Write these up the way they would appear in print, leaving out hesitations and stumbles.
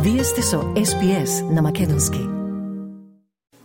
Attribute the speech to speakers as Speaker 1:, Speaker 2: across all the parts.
Speaker 1: Вие сте со SPS на македонски.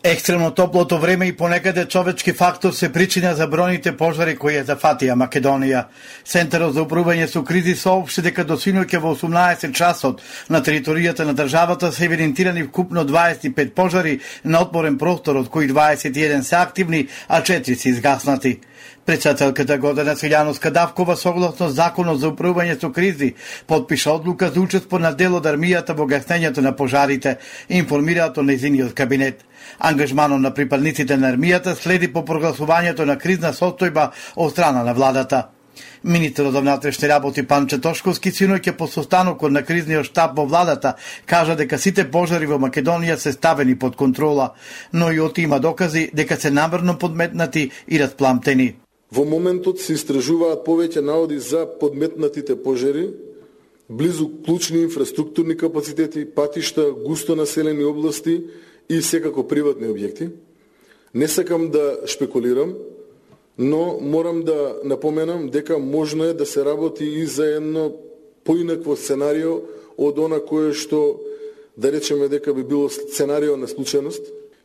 Speaker 2: Екстремно топлото време и понекаде човечки фактор се причина за бројните пожари кои ја зафатија Македонија. Центарот за управување со кризи соопшти дека до синоќа во 18 часот на територијата на државата се евидентирани вкупно 25 пожари на отворен простор, од кои 21 се активни, а 4 се изгаснати. Председателката Гордана Свилјановска-Давкова согласно Законот за управување со кризи потпиша одлука за учество на дел од армијата во гаснењето на пожарите, информираат од нејзиниот кабинет. Ангажманот на припадниците на армијата следи по прогласувањето на кризна состојба од страна на владата. Министерот за внатрешни работи Панче Тошковски синоќа по состанокот на кризниот штаб во владата кажа дека сите пожари во Македонија се ставени под контрола, но и од има докази дека се намерно подметнати и распламтени.
Speaker 3: Во моментот се истражуваат повеќе наводи за подметнатите пожари близу клучни инфраструктурни капацитети, патишта, густо населени области и секако приватни објекти. Не сакам да шпекулирам, но морам да напоменам дека можно е да се работи и за едно поинакво сценарио од она кое што, да речеме дека би било сценарио на случајност.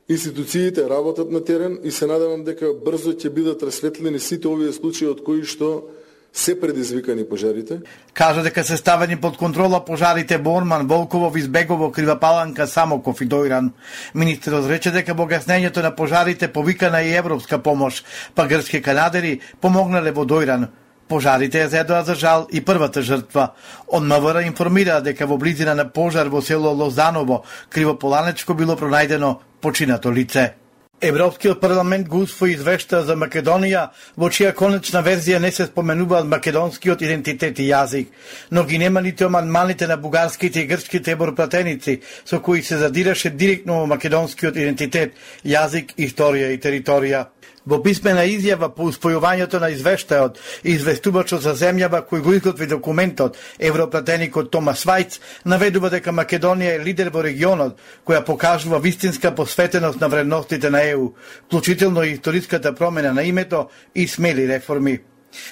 Speaker 3: Институциите работат на терен и се надевам дека брзо ќе бидат расветлени сите овие случаи од кои што се предизвикани пожарите.
Speaker 2: Кажа дека се ставени под контрола пожарите во Орман, Волково, Избегово, Крива Паланка, Самоков и Дојран. Министерот рече дека во гаснењето на пожарите повикана и европска помош, па грчки канадери помогнале во Дојран. Пожарите ја зедоа за жал и првата жртва. Од МВР информира дека во близина на пожар во село Лозаново, Кривополанечко, било пронајдено починато лице. Европскиот парламент го усвои извешта за Македонија, во чија конечна верзија не се споменуваат македонскиот идентитет и јазик, но ги нема нити амандманите на бугарските и грчките европратеници, со кои се задираше директно во македонскиот идентитет, јазик, историја и територија. Во писмена изјава по успојувањето на извештајот, известувачот за земјава кој го изготви документот, европратеникот Томас Вајц, наведува дека Македонија е лидер во регионот, која покажува вистинска посветеност на вредностите на ЕУ, вклучително и историската промена на името и смели реформи.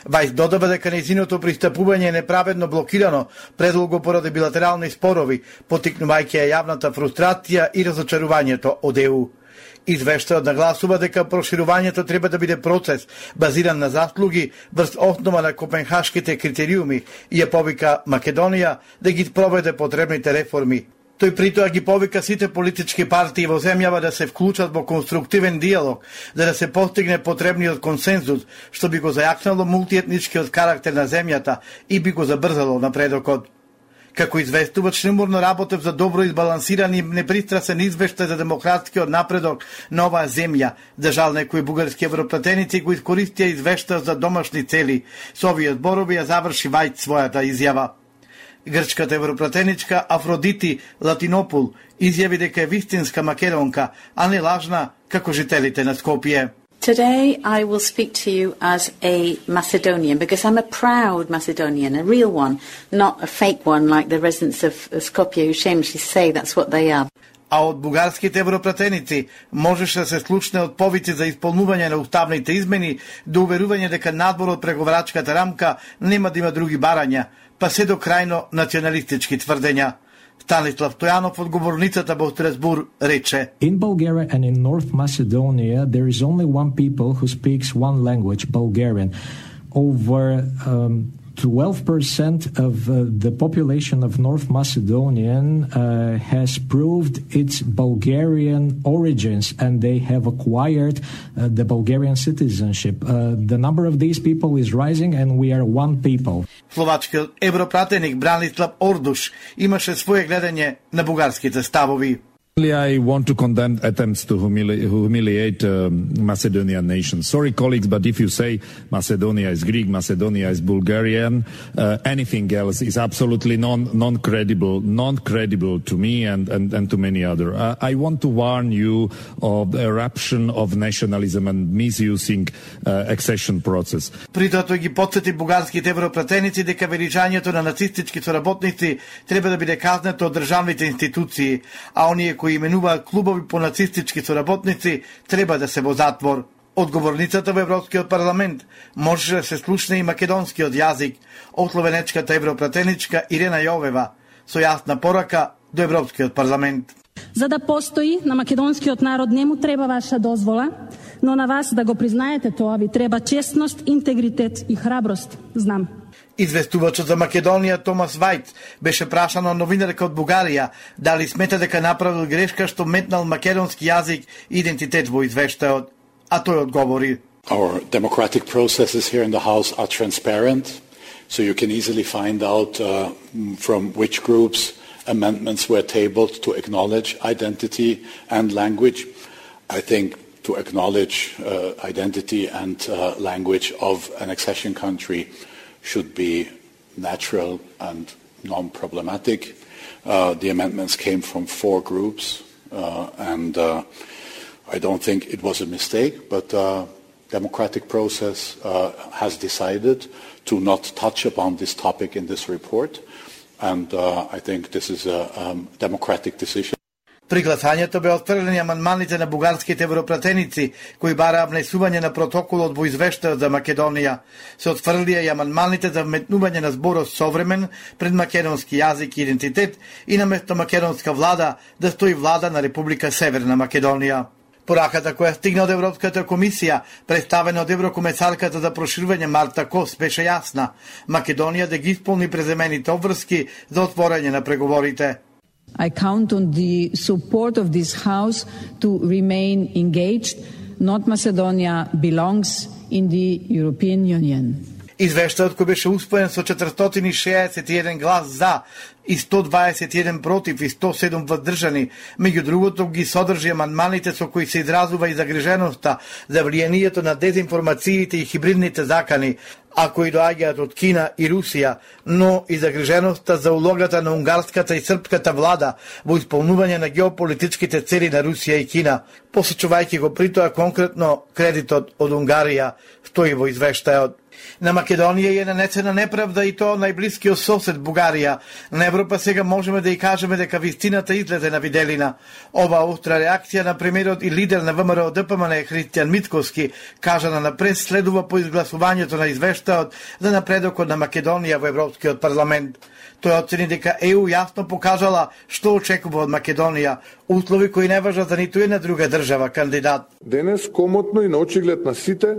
Speaker 2: Вајц додава дека нејзиното пристапување е неправедно блокирано предолго поради билатерални спорови, поттикнувајќи ја јавната фрустрација и разочарувањето од ЕУ. Извештајот нагласува дека проширувањето треба да биде процес базиран на заслуги врз основа на копенхашките критериуми и ја повика Македонија да ги спроведе потребните реформи. Тој притоа ги повика сите политички партии во земјава да се вклучат во конструктивен диалог, за да се постигне потребниот консензус, што би го зајакнало мултиетничкиот карактер на земјата и би го забрзало напредокот. Како известува, шлемурно работев за добро избалансиран и непристрасен извештај за демократскиот напредок на оваа земја. За жал, некои бугарски европратеници го искористија извештај за домашни цели. Со овие зборови ја заврши Вајц својата изјава. Грчката европратеничка Афродити Латинопул изјави дека е вистинска македонка, а не лажна како жителите на Скопје.
Speaker 4: Today I will speak to you as a Macedonian because I'm a proud Macedonian, a real one, not a fake one like the residents of Skopje who shamelessly say that's what they are.
Speaker 2: А од бугарските европратеници можеше да се слушне од повици за исполнување на уставните измени до уверување дека надвор од преговарачката рамка нема да има други барања, па се до крајно националистички тврдења. Станислав Стојанов од говорницата во Страсбур рече:
Speaker 5: In Bulgaria and in North Macedonia there is only one people who speaks one language, Bulgarian. Over 12% of the population of North Macedonian has proved its Bulgarian origins and they have acquired the Bulgarian citizenship. The number of these people is rising and we are one people.
Speaker 2: Словачкиот европратеник Бранислав Ордуш имаше своје гледање на бугарските ставови.
Speaker 6: I want to condemn attempts to humiliate Macedonian nation. Sorry, colleagues, but if you say Macedonia is Greek, Macedonia is Bulgarian, anything else is absolutely non-credible to me and to many other. I want to warn you of the eruption of nationalism and misusing accession process.
Speaker 2: Притоа тој ги потсети бугарските европратеници дека величањето на нацистички соработници треба да биде казнето од државните институции, а оние кои именуваат клубови по нацистички соработници треба да се во затвор. Одговорницата во Европскиот парламент може да се слушне и македонскиот јазик, од словенечката европратеничка Ирена Јовева, со јасна порака до Европскиот парламент.
Speaker 7: За да постои на македонскиот народ не му треба ваша дозвола, но на вас да го признаете тоа ви треба честност, интегритет и храброст. Знам.
Speaker 2: Известувачот за Македонија Томас Вајц беше прашан од новинарка од Бугарија дали смета дека направил грешка што метнал македонски јазик и идентитет во извештајот, а тој одговори:
Speaker 8: Our democratic processes here in the House are transparent, so you can easily find out from which groups amendments were tabled to acknowledge identity and language. I think to acknowledge identity and language of an accession country should be natural and non-problematic. The amendments came from 4 groups, and I don't think it was a mistake, but democratic process has decided to not touch upon this topic in this report, and I think this is a democratic decision.
Speaker 2: При гласањето бе отфрлени амандманите на бугарските европратеници кои бараа внесување на протоколот во извештајот за Македонија. Се отфрлија и амандманите за вметнување на зборот современ пред македонски јазик и идентитет и наместо македонска влада да стои влада на Република Северна Македонија. Пораката која стигна од Европската комисија, представена од еврокомесарката за проширување Марта Кос, беше јасна. Македонија да ги исполни преземените обврски за отворање на преговорите.
Speaker 9: I count on the support of this House to remain engaged. North Macedonia belongs in the European Union.
Speaker 2: Извештајот кој беше успоен со 461 глас за и 121 против и 107 воздржани, меѓу другото ги содржи амандманите со кои се изразува и загриженоста за влијанието на дезинформациите и хибридните закани, а кои доаѓаат од Кина и Русија, но и загриженоста за улогата на унгарската и српската влада во исполнување на геополитичките цели на Русија и Кина, посочувајќи го при тоа конкретно кредитот од Унгарија, стои во извештајот. На Македонија е нанесена неправда и тоа најблискиот сосед Бугарија. На Европа сега можеме да и кажеме дека вистината излезе на виделина. Ова остра реакција на премиерот и лидер на ВМРО ДПМН Христијан Мицкоски, кажана на прес, следува по изгласувањето на извештајот за напредокот на Македонија во Европскиот парламент. Тој оцени дека ЕУ јасно покажала што очекува од Македонија, услови кои не важат за ниту една друга држава кандидат.
Speaker 3: Денес комотно и на очиглед на сите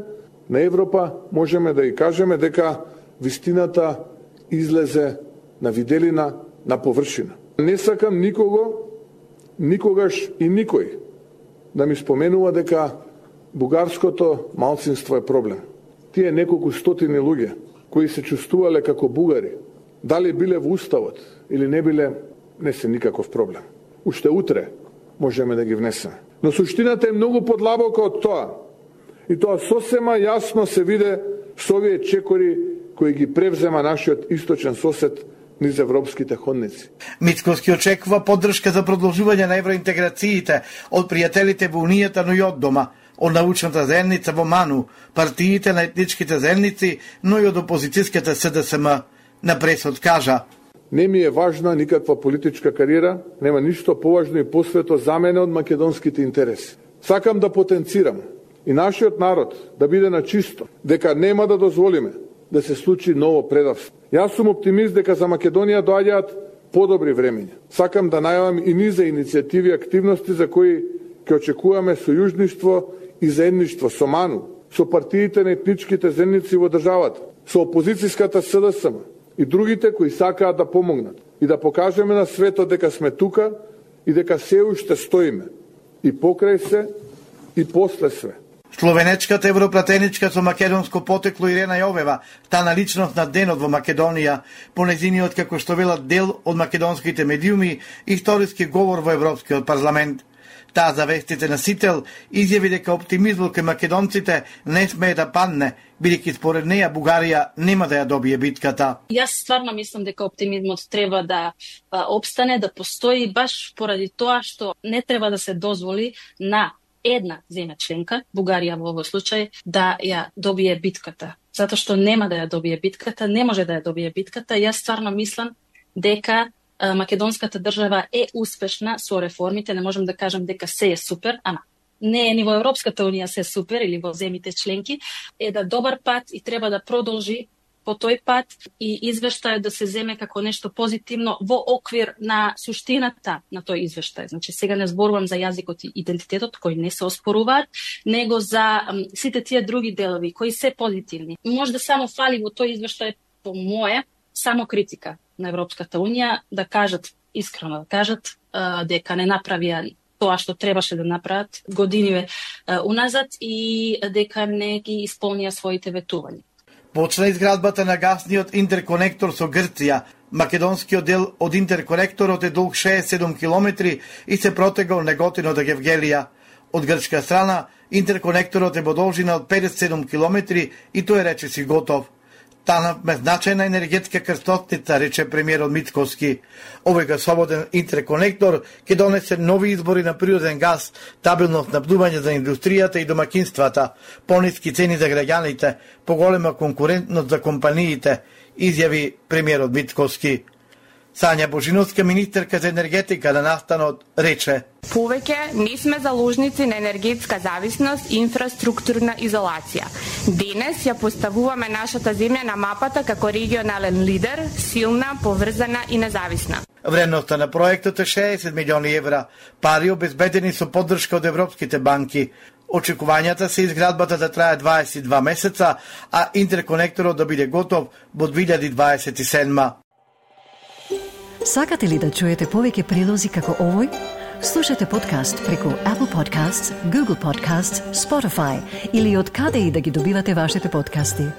Speaker 3: на Европа можеме да и кажеме дека вистината излезе на виделина, на површина. Не сакам никого, никогаш и никој да ми споменува дека бугарското малцинство е проблем. Тие неколку стотини луѓе кои се чувствувале како бугари, дали биле во уставот или не биле, не се никаков проблем. Уште утре можеме да ги внесеме. Но суштината е многу подлабока од тоа. И тоа сосема јасно се виде со овие чекори кои ги превзема нашиот источен сосед низ европските ходници.
Speaker 2: Мицкоски очекува поддршка за продолжување на евроинтеграциите од пријателите во Унијата, но и од дома, од научната заедница во МАНУ, партиите на етничките заедници, но и од опозицијската СДСМ. На пресот кажа:
Speaker 3: Не ми е важна никаква политичка кариера, нема ништо поважно и посвето за мене од македонските интереси. Сакам да потенцирам и нашиот народ да биде на чисто, дека нема да дозволиме да се случи ново предавство. Јас сум оптимист дека за Македонија доаѓаат подобри времења. Сакам да најавам и низа иницијативи и активности за кои ќе очекуваме сојужништво и заедништво со МАНУ, со партиите на етничките заедници во државата, со опозицијската СДСМ и другите кои сакаат да помогнат и да покажеме на светот дека сме тука и дека се уште стоиме и покрај се и после све.
Speaker 2: Словенечката европратеничка со македонско потекло Ирена Јовева стана личност на денот во Македонија, по незиниот, како што велат, дел од македонските медиуми, историски говор во Европскиот парламент. Таа за вестите на Сител изјави дека оптимизмот кај македонците не смее да падне, бидејќи според неја Бугарија нема да ја добие битката.
Speaker 7: Јас стварно мислам дека оптимизмот треба да опстане, да постои баш поради тоа што не треба да се дозволи на една земја членка, Бугарија во овој случај, да ја добие битката. Затоа што нема да ја добие битката, не може да ја добие битката. Јас стварно мислам дека македонската држава е успешна со реформите, не можем да кажем дека се е супер, ама не е ни во Европската унија се супер или во земите членки, е да добар пат и треба да продолжи по тој пат и извештајот да се земе како нешто позитивно во оквир на суштината на тој извештај. Значи сега не зборувам за јазикот и идентитетот кои не се оспоруваат, него за сите тие други делови кои се позитивни. Може да само фали во тој извештај по мое само критика на Европската унија, да кажат искрено, да кажат дека не направија тоа што требаше да направат години уназад и дека не ги исполнија своите ветувања.
Speaker 2: Почна изградбата на гасниот интерконектор со Грција. Македонскиот дел од интерконекторот е долг 67 километри и се протега од Неготино до Гевгелија. Од грчка страна, интерконекторот е во должина од 57 километри и тој речиси готов. Станавме значајна енергетска крстотница, рече премиерот Мицкоски. Овој гасоводен интерконектор ќе донесе нови избори на природен газ, стабилно снабдување за индустријата и домакинствата, пониски цени за граѓаните, поголема конкурентност за компаниите, изјави премиерот Мицкоски. Сања Божиновска, министерка за енергетика на настанот, рече:
Speaker 10: Повеќе не сме заложници на енергетска зависност и инфраструктурна изолација. Денес ја поставуваме нашата земја на мапата како регионален лидер, силна, поврзана и независна.
Speaker 2: Вредноста на проектот е 60 милиони евра, пари обезбедени со поддршка од европските банки. Очекувањата се изградбата да трае 22 месеца, а интерконекторот да биде готов во 2027.
Speaker 1: Сакате ли да чуете повеќе прилози како овој? Слушате подкаст преку Apple Podcasts, Google Podcasts, Spotify или од каде и да ги добивате вашите подкасти.